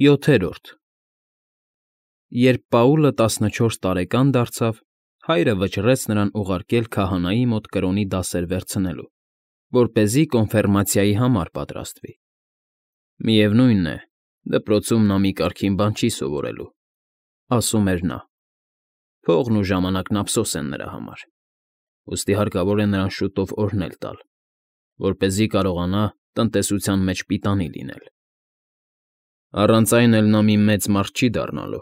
ՅՈԹԵՐՈՐԴ Երբ Պաուլը 14 տարեկան դարձավ, հայրը վճռեց նրան ուղարկել քահանայի մոտ կրոնի դասեր վերցնելու, որպեսզի կոնֆիրմացիայի համար պատրաստվի։ «Միևնույն է, դպրոցում նա մի կարգին բան չի սովորելու,֊ ասում էր նա,֊ փողն ու ժամանակն ափսոս են նրա համար, ուստի հարկավոր է նրան շուտով օրհնել տալ, որպեսզի կարողանա տնտեսության մեջ պիտանի լինել։ Առանց այն էլ նա մի մեծ մարդ չի դառնալու,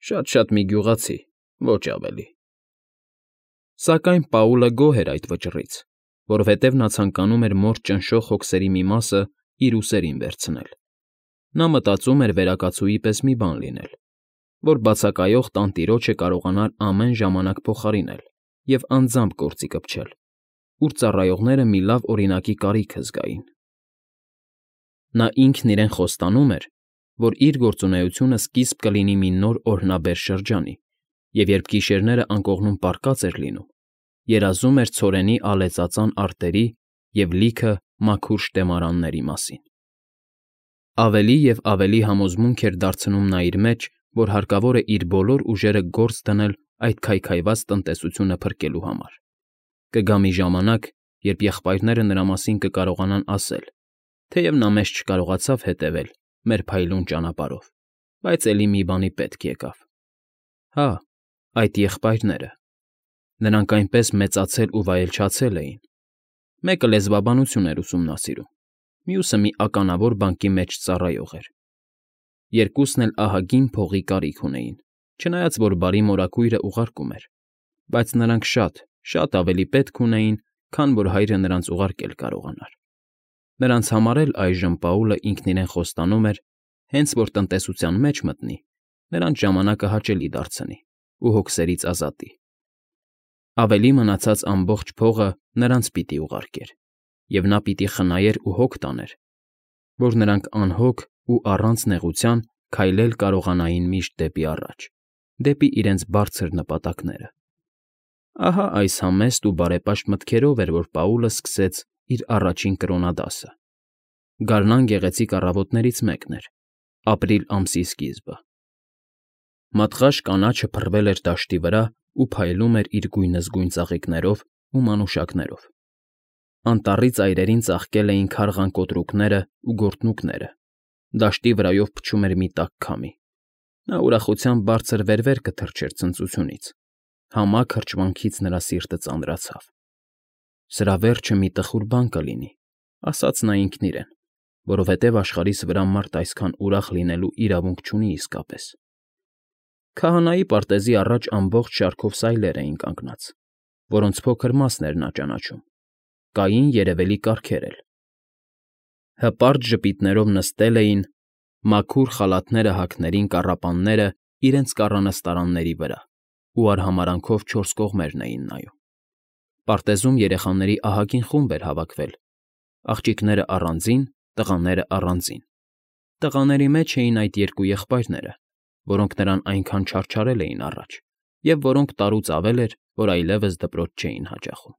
շատ֊շատ մի գյուղացի, ոչ ավելի»։ Սակայն Պաուլը գոհ էր այդ վճռից, որովհետև նա ցանկանում էր մոր ճնշող հոգսերի մի մասը իր ուսերին վերցնել։ Նա մտածում էր վերակացուի պես մի բան լինել, որ բացակայող տանտիրոջը կարողանար ամեն ժամանակ փոխարինել և անձամբ գործի կպչել, ուր ծառայողները մի լավ օրինակի կարիքը զգային։ Նա ինքն իրեն խոստանում էր, որ իր գործունեությունը սկիզբ կլինի մի նոր օրհնաբեր շրջանի, և երբ գիշերները անկողնում պառկած էր լինում, երազում էր ցորենի ալեծածան արտերի և լիքը մաքուր շտեմարանների մասին։ Ավելի և ավելի համոզմունք էր դարձնում նա իր մեջ, որ հարկավոր է իր բոլոր ուժերը գործ դնել այդ քայքայված տնտեսությունը փրկելու համար։ Կգա մի ժամանակ, երբ եղբայրները նրա մասին կկարողանան ասել, թեև նա մեզ չկարողացավ հետևել մեր փայլուն ճանապարհով, բայց էլի մի բանի պետք եկավ։ Հա, այդ եղբայրները… Նրանք այնպես մեծացել ու վայելչացել էին։ Մեկը լեզվաբանություն էր ուսումնասիրում, մյուսը մի ականավոր բանկի մեջ ծառայող էր։ Երկուսն էլ ահագին փողի կարիք ունեին, չնայած որ բարի մորաքույրը ուղարկում էր, բայց նրանք շատ ավելի պետք ունեին, քան որ հայրը նրանց ուղարկել կարողանար։ Նրանց համար էլ այժմ Պաուլը ինքն իրեն խոստանում էր, հենց որ տնտեսության մեջ մտնի, նրանց ժամանակը հաճելի դարձնի ու հոգսերից ազատի։ Ավելի մնացած ամբողջ փողը նրանց պիտի ուղարկեր, և նա պիտի խնայեր ու հոգ տաներ, որ նրանք անհոգ ու առանց նեղության քայլել կարողանային միշտ դեպի առաջ, դեպի իրենց բարձր նպատակները։ Ահա այս համեստ ու բարեպաշտ մտքերով էր, որ Պաուլը սկսեց իր առաջին կրոնադասը։ Գարնան գեղեցիկ առավոտներից մեկն էր, ապրիլ ամսի սկիզբը։ Մատղաշ կանաչը փռվել էր դաշտի վրա ու փայլում էր իր գույնզգույն ծաղիկներով ու մանուշակներով։ Անտառի ծայրերին ծաղկել էին քարղան կոտրուկներն ու գորտնուկները, դաշտի վրայով փչում էր մի տաք քամի։ Նա ուրախությամբ բարձր վեր կթռչեր ցնծությունից, համակ հրճվանքից նրա սիրտը ծանրացավ։ «Սրա վերջը մի տխուր բան կլինի,֊ ասաց նա ինքն իրեն, որովհետև աշխարհիս վրա մարդ այսքան ուրախ լինելու իրավունք չունի իսկապես»։ Քահանայի պարտեզի առաջ ամբողջ շարքով սայլեր էին կանգնած, որոնց փոքր մասն էր նա ճանաչում, կային երևելի կառքեր էլ։ Հպարտ ժպիտներով նստել էին, մաքուր խալաթները հագներին կառապանները իրենց կառանստարանների վրա ու արհամարհանքով չորս կողմերն էին նայում։ Պարտեզում երեխաների ահագին խումբ էր հավաքվել, աղջիկները առանձին, տղաները առանձին։ Տղաների մեջ էին այդ երկու եղբայրները, որոնք նրան այնքան չարչարել էին առաջ, և որոնք տարուց ավել էր, որ այլևս դպրոց չէին հաճախում։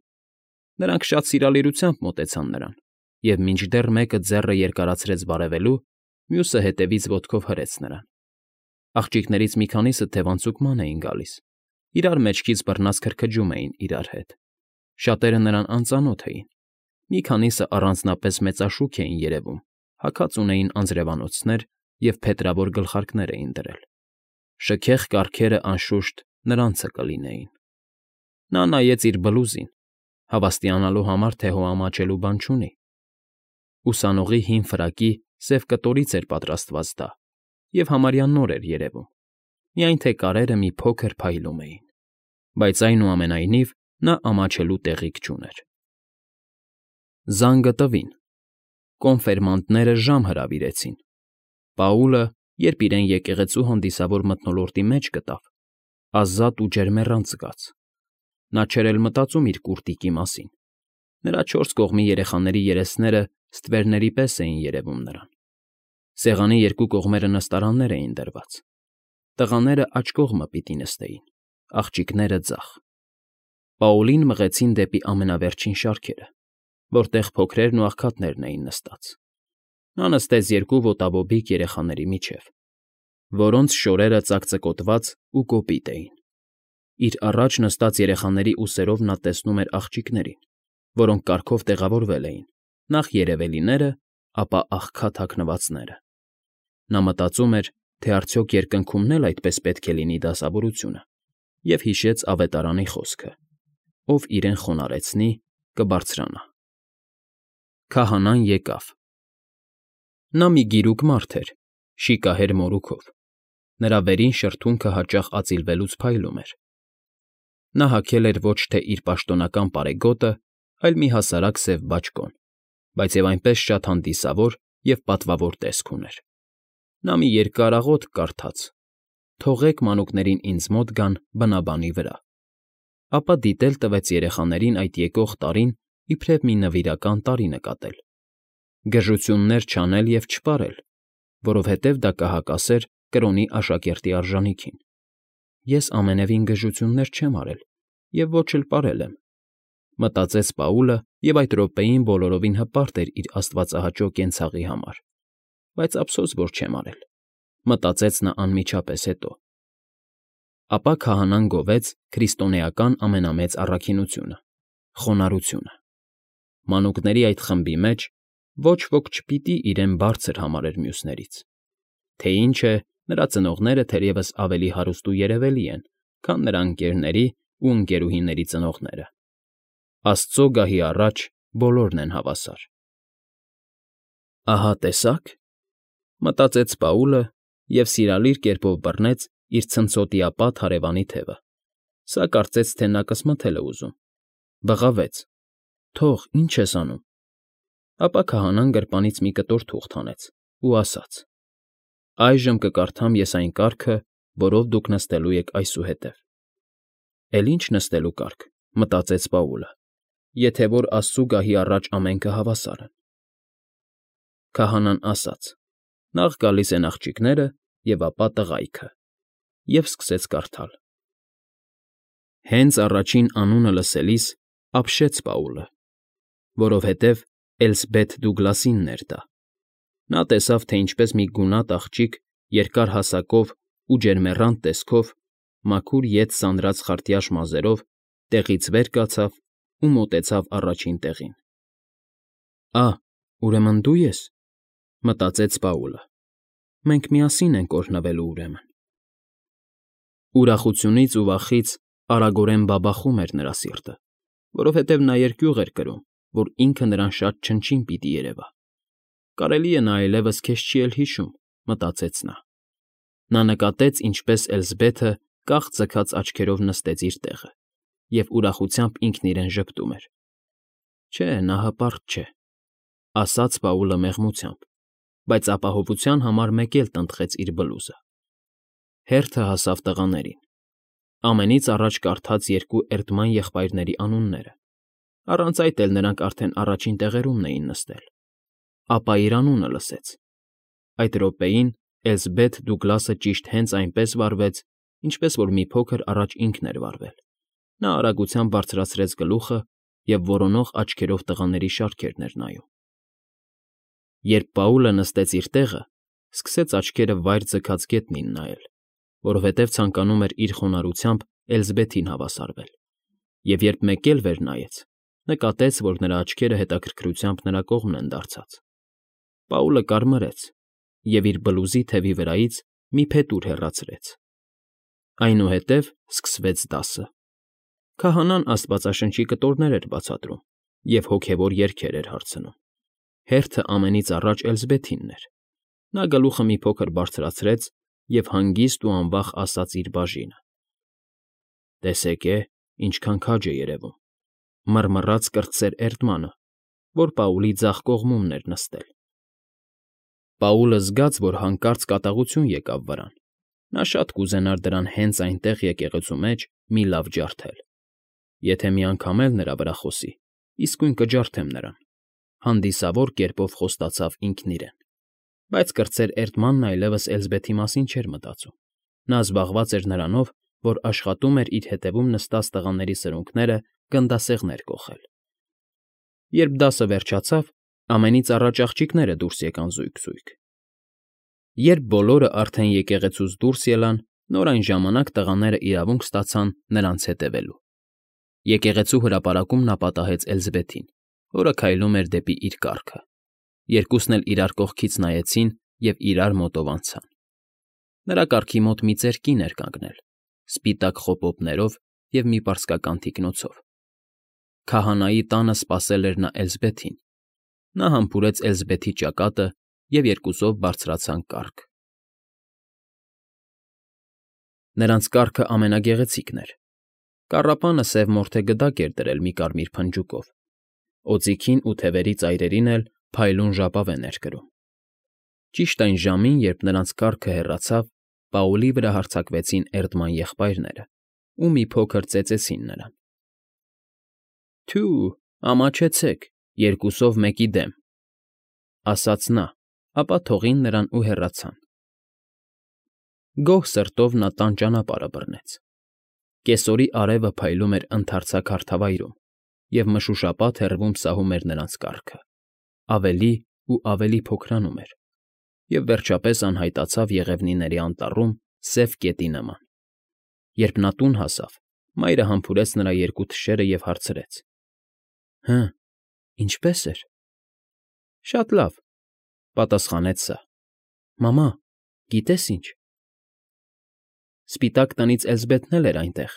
Նրանք շատ սիրալիրությամբ մոտեցան նրան, և մինչդեռ մեկը ձեռը երկարացրեց բարևելու, մյուսը հետևից ոտքով հրեց նրան։ Աղջիկներից մի քանիսը թևանցուկման էին գալիս, իրար մեջքից բռնած քրքջում էին իրար հետ։ Շատերը նրան անծանոթ էին, մի քանիսը առանձնապես մեծաշուք էին երևում, հագած ունեին անձրևանոցներ և փետրավոր գլխարկներ էին դրել։ Շքեղ կառքերը, անշուշտ, նրանցը կլինեին։ Նա նայեց իր բլուզին, հավաստիանալու համար, թե հո ամաչելու բան չունի։ Ուսանողի հին ֆրակի սև կտորից էր պատրաստված դա և համարյա նոր էր երևում, միայն թե կարերը մի փոքր փայլում էին, բայց այնուամենայնիվ նա ամաչելու տեղիք չուներ։ Զանգը տվին։ Կոնֆերմանտները ժամ հրավիրեցին։ Պաուլը, երբ իրեն եկեղեցու հանդիսավոր մթնոլորտի մեջ գտավ, ազատ ու ջերմեռանդ զգաց։ Նա չէր էլ մտածում իր կուրտիկի մասին։ Նրա չորս կողմի երեխաների երեսները ստվերների պես էին երևում նրան։ Սեղանի երկու կողմերը նստարաններ էին դրված։ Տղաները աջ կողմը պիտի նստեին, աղջիկները՝ ձախ։ Պաուլին մղեցին դեպի ամենավերջին շարքերը, որտեղ փոքրերն ու աղքատներն էին նստած։ Նա նստեց երկու ոտաբոբիկ երեխաների միջև, որոնց շորերը ծակծկոտված ու կոպիտ էին։ Իր առաջ նստած երեխաների ուսերով նա տեսնում էր աղջիկներին, որոնք կարգով տեղավորվել էին, նախ երևելիները, ապա աղքատ հագնվածները։ Նա մտածում էր, թե արդյոք երկնքումն էլ այդպես պետք է լինի դասավորությունը, և հիշեց Ավետարանի խոսքը. «Ով իրեն խոնարհեցնի, կբարձրանա»։ Քահանան եկավ։ Նա մի գիրուկ մարդ էր, շիկահեր մորուքով։ Նրա վերին շրթունքը հաճախ ածիլվելուց փայլում էր։ Նա հագել էր ոչ թե իր պաշտոնական պարեգոտը, այլ մի հասարակ սև բաճկոն, բայց և այնպես շատ հանդիսավոր և պատվավոր տեսք ուներ։ Նա մի երկար աղոթք կարդաց. «Թողեք մանուկներին ինձ մոտ գան բնաբանի վրա», ապա դիտել տվեց երեխաներին այդ եկող տարին իբրև մի նվիրական տարի նկատել, գժություններ չանել և չպարել, որովհետև դա կհակասեր կրոնի աշակերտի արժանիքին։ Ես ամենևին գժություններ չեմ արել և ոչ էլ պարել եմ, մտածեց Պաուլը, և այդ րոպեին բոլորովին հպարտ էր իր աստվածահաճո կենցաղի համար, բայց ափսոս, որ չեմ արել, մտածեց նա անմիջապես հետո։ Ապա քահանան գովեց քրիստոնեական ամենամեծ առաքինությունը՝ խոնարհությունը։ Մանուկների այդ խմբի մեջ ոչ ոք չպիտի իրեն բարձր համարեր մյուսներից, թե ինչ է, նրա ծնողները թերևս ավելի հարուստ ու երևելի են, քան նրա ընկերների ու ընկերուհիների ծնողները։ Աստծո գահի առաջ բոլորն են հավասար։ «Ահա տեսա՞ք,֊ մտածեց Պաուլը և սիրալիր կերպով բռնեց իր ցնցոտիապատ հարևանի թևը։ Սա կարծեց, թե նա կսմթել է ուզում։ Բղավեց. «Թող, ի՞նչ ես անում»։ Ապա քահանան գրպանից մի կտոր թուղթ հանեց ու ասաց. «Այժմ կկարդամ ես այն կարգը, որով դուք նստելու եք այսուհետև»։ «Էլ ի՞նչ նստելու կարգ,֊ մտածեց Պաուլը,֊ եթե որ Աստծու գահի առաջ ամենքը հավասար են»։ Քահանան ասաց. «Նախ գալիս են աղջիկները, և ապա տղայքը», և սկսեց կարդալ։ Հենց առաջին անունը լսելիս ապշեց Պաուլը, որովհետև Էլսբեթ Դուգլասինն էր դա։ Նա տեսավ, թե ինչպես մի գունատ աղջիկ երկար հասակով ու ջերմեռանդ տեսքով, մաքուր ետ սանրած խարտյաշ մազերով տեղից վեր կացավ ու մոտեցավ առաջին տեղին։ «Ա՛, ուրեմն դու ես,֊ մտածեց Պաուլը։֊ Մենք միասին ենք օրհնվելու, ուրեմն»։ Ուրախությունից ու վախից արագորեն բաբախում էր նրա սիրտը, որովհետև նա երկյուղ էր կրում, որ ինքը նրան շատ չնչին պիտի երևա։ «Կարելի է նա այլևս քեզ չի էլ հիշում,֊ մտածեց նա։ Նա նկատեց, ինչպես Էլսբեթը կախ֊ձգած աչքերով նստեց իր տեղը և ուրախությամբ ինքն իրեն ժպտում էր։ «Չէ, նա հպարտ չէ,֊ ասաց Պաուլը մեղմությամբ, բայց ապահովության համար մեկ էլ տնտղեց իր բլուզը։ Հերթը հասավ տղաներին։ Ամենից առաջ կարդաց երկու էրդման եղբայրների անունները, առանց այդ էլ նրանք արդեն առաջին տեղերումն էին նստել։ Ապա իր անունը լսեց։ Այդ րոպեին Էլսբեթ Դուգլասը ճիշտ հենց այնպես վարվեց, ինչպես որ մի փոքր առաջ ինքն էր վարվել։ Նա արագությամբ բարձրացրեց գլուխը և որոնող աչքերով տղաների շարքերն էր նայում։ Երբ Պաուլը նստեց իր տեղը, սկսեց աչքերը վայր ձգած գետնին նայել, որովհետև ցանկանում էր իր խոնարհությամբ Էլսբեթին հավասարվել, և երբ մեկ էլ վեր նայեց, նկատեց, որ նրա աչքերը հետաքրքրությամբ նրա կողմն են դարձած։ Պաուլը կարմրեց և իր բլուզի թևի վրայից մի փետուր հեռացրեց։ Այնուհետև սկսվեց դասը։ Քահանան աստվածաշնչի կտորներ էր բացատրում և հոգևոր երգեր էր հարցնում։ Հերթը ամենից առաջ Էլսբեթինն էր։ Նա գլուխը մի փոքր բարձրացրեց և հանգիստ ու անվախ ասաց իր բաժինը. «Տեսեք, ինչքան քաջ է երևում», մռմռաց կրտսեր Էրդմանը, որ Պաուլի ձախ կողմումն էր նստել։ Պաուլը զգաց, որ հանկարծ կատաղություն եկավ վրան։ Նա շատ կուզենար դրան հենց այնտեղ եկեղեցու մեջ մի լավ ջարդել։ Եթե մի անգամ էլ նրա վրա խոսի, իսկույն կջարդեմ նրան,֊ հանդիսավոր կերպով խոստացավ ինքն իրեն։ Բայց կրտսեր Էրդմանն այլևս Էլսբեթի մասին չէր մտածում։ Նա զբաղված էր նրանով, որ աշխատում էր իր հետևում նստած տղաների սրունքները գնդասեղներ կոխել։ Երբ դասը վերջացավ, ամենից առաջ աղջիկները դուրս եկան զույգ֊զույգ։ Երբ բոլորը արդեն եկեղեցուց դուրս ելան, նոր այն ժամանակ տղաները իրավունք ստացան նրանց հետևելու։ Եկեղեցու հրապարակում նա պատահեց Էլզբեթին, որը քայլում էր դեպի իր կառքը։ Երկուսն էլ իրար կողքից նայեցին և իրար մոտով անցան։ Նրա կառքի մոտ մի ծեր կին էր կանգնել, սպիտակ խոպոպներով և մի պարսկական թիկնոցով։ Քահանայի տանը սպասել էր նա Էլզբեթին։ Նա համբուրեց Էլզբեթի ճակատը և երկուսով բարձրացան կառք։ Նրանց կառքը ամենագեղեցիկն էր։ Կառապանը սև մորթե գդակ էր դրել մի կարմիր փնջուկով, օձիքին ու թևերի ծայրերին էլ փայլուն ժապավեն էր կրում։ Ճիշտ այն ժամին, երբ նրանց կառքը հեռացավ, Պաուլի վրա հարձակվեցին Էրդման եղբայրները ու մի փոքր ծեծեցին նրան։ «Թյու, ամաչեցեք, երկուսով մեկի դեմ», ֊ ասաց նա, ապա թողին նրան ու հեռացան։ Գոհ սրտով նա տան ճանապարհը բռնեց։ Կեսօրի արևը փայլում էր ընդարձակ հարթավայրում, և մշուշապատ հեռվում սահում էր նրանց կառքը, ավելի ու ավելի փոքրանում էր, և վերջապես անհայտացավ եղևնիների անտառում սև կետի նման։ Երբ նա տուն հասավ, մայրը համբուրեց նրա երկու թշերը և հարցրեց. «Հը, ինչպե՞ս էր»։ «Շատ լավ», ֊ պատասխանեց սա։ «Մամա, գիտե՞ս ինչ»։ Սպիտակ տնից Էլզբեթն էլ էր այնտեղ։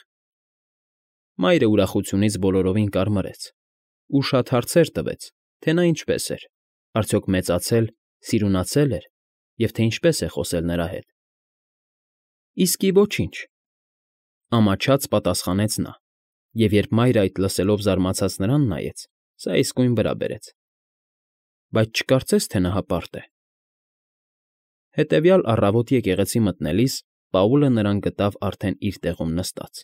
Մայրը ուրախությունից բոլորովին կարմրեց ու շատ հարցեր տվեց, թե նա ինչպես էր, արդյոք մեծացել, սիրունացել էր, և թե ինչպես է խոսել նրա հետ։ «Իսկի ոչինչ», ֊ ամաչած պատասխանեց նա, և երբ մայրը այդ լսելով զարմացած նրան նայեց, սա իսկույն վրա բերեց։ «Բայց չկարծես, թե նա հպարտ է»։ Հետևյալ առավոտ եկեղեցի մտնելիս Պաուլը նրան գտավ արդեն իր տեղում նստած։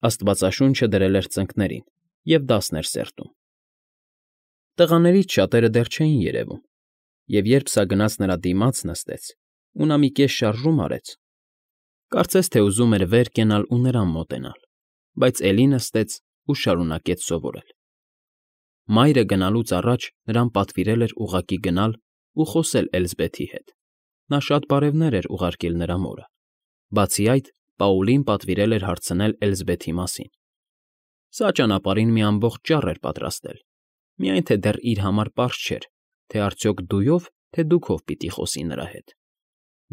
Աստվածաշունչը դրել էր ծնկներին և դասն էր սերտում։ Տղաներից շատերը դեռ չէին երևում, և երբ սա գնաց նրա դիմաց նստեց ու նա մի կես շարժում արեց, կարծես թե ուզում էր վեր կենալ ու նրան մոտենալ, բայց էլի նստեց ու շարունակեց սովորել։ Մայրը գնալուց առաջ նրան պատվիրել էր ուղղակի գնալ ու խոսել Էլզբեթի հետ։ Նա շատ բարևներ էր ուղարկել նրա մորը։ Բացի այդ, Պաուլին պատվիրել էր հարցնել Էլզբեթի մասին։ Սա ճանապարհին մի ամբողջ ճառ էր պատրաստել, միայն թե դեռ իր համար պարզ չէր, թե արդյոք դույով, թե դուքով պիտի խոսի նրա հետ։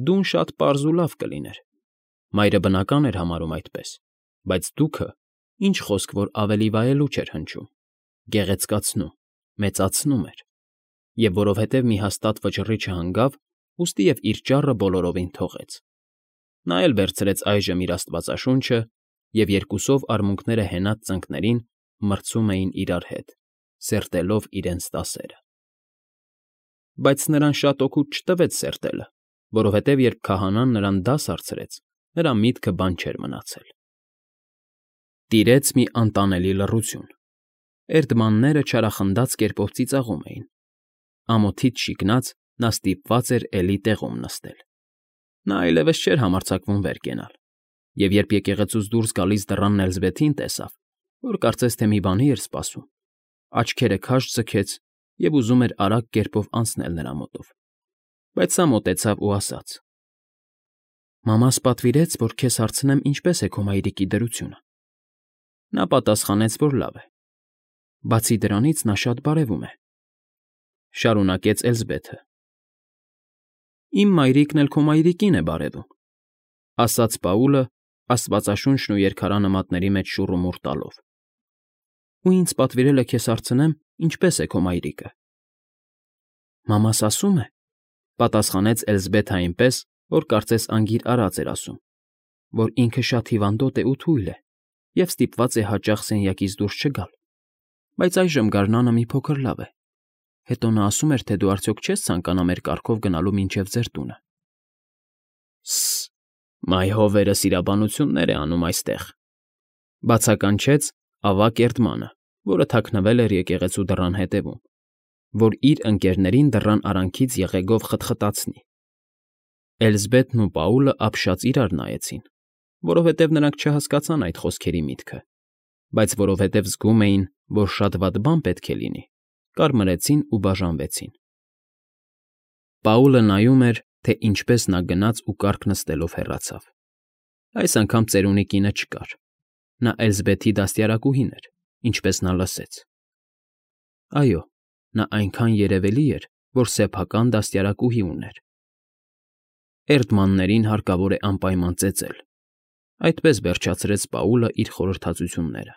Դուն շատ պարզ ու լավ կլիներ։ Մայրը բնական էր համարում այդպես, բայց դուքը, ինչ խոսք որ ավելի վայելուչ էր հնչում, գեղեցկացնում, մեծացնում էր, և որովհետև մի հաստատ վճռի չհանգավ, ուստի և իր ճառը բոլորովին թողեց։ Նա էլ վերցրեց այժմ իր աստվածաշունչը, և երկուսով արմունկները հենած ծնկներին մրցում էին իրար հետ, սերտելով իրենց դասերը։ Բայց նրան շատ օգուտ չտվեց սերտելը, որովհետև երբ քահանան նրան դաս հարցրեց, նրա միտքը բան չէր մնացել։ Տիրեց մի անտանելի լռություն։ Էրդմանները չարախնդաց կերպով ծիծաղում էին։ Ամոթից շիկնած նա ստիպված էր էլի տեղում նստել։ Նա այլևս չէր համարձակվում վեր կենալ, և երբ եկեղեցուց դուրս գալիս դռան Էլզբեթին տեսավ, որ կարծես թե մի բանի էր սպասում, աչքերը քաշ ձգեց և ուզում էր արագ կերպով անցնել նրա մոտով, բայց սա մոտեցավ ու ասաց. «Մամաս պատվիրեց, որ քեզ հարցնեմ ինչպես է քո մայրիկի դրությունը»։ Նա պատասխանեց, որ լավ է։ «Բացի դրանից նա շատ բարևում է», ֊ շարունակեց Էլզբեթը։ «Իմ մայրիկն էլ քո մայրիկին է բարևում», ֊ ասաց Պաուլը, աստվածաշունչն ու երկարանմատների մեջ շուռումուռ տալով։ «Ու ինձ պատվիրել է քեզ հարցնեմ, ինչպես է քո մայրիկը»։ «Մամաս ասում է», ֊ պատասխանեց Էլզբեթը այնպես, որ կարծես անգիր արած էր ասում, որ ինքը շատ հիվանդոտ է ու թույլ է և ստիպված է հաճախ սենյակից դուրս չգալ, բայց այժմ գարնանը մի փոքր լավ է։ Հետո նա ասում էր, թե դու արդյոք չես ցանկանա մեր կառքով գնալու մինչև ձեր տունը։ Սս, մայ հովերը սիրաբանություններ է անում այստեղ, ֊ բացականչեց ավագ Էրդմանը, որը թաքնվել էր եկեղեցու դռան հետևում, որ իր ընկներներին դռան արանքից եղեգով խտխտացնի։ Էլզբեթն ու Պաուլը ապշած իրար նայեցին, որովհետև նրանք չհասկացան այդ խոսքերի միտքը, բայց որովհետև զգում էին, որ շատ վատ բան պետք է լինի, կարմրեցին ու բաժանվեցին։ Պաուլը նայում էր, թե ինչպես նա գնաց ու կառք նստելով հեռացավ։ Այս անգամ ծերունի կինը չկար. նա Էլզբեթի դաստիարակուհին էր, ինչպես նա լսեց։ Այո, նա այնքան երևելի էր, որ սեփական դաստիարակուհի ուներ։ Էրդմաններին հարկավոր է անպայման ծեծել, այդպես վերջացրեց Պաուլը իր խորհրդածությունները։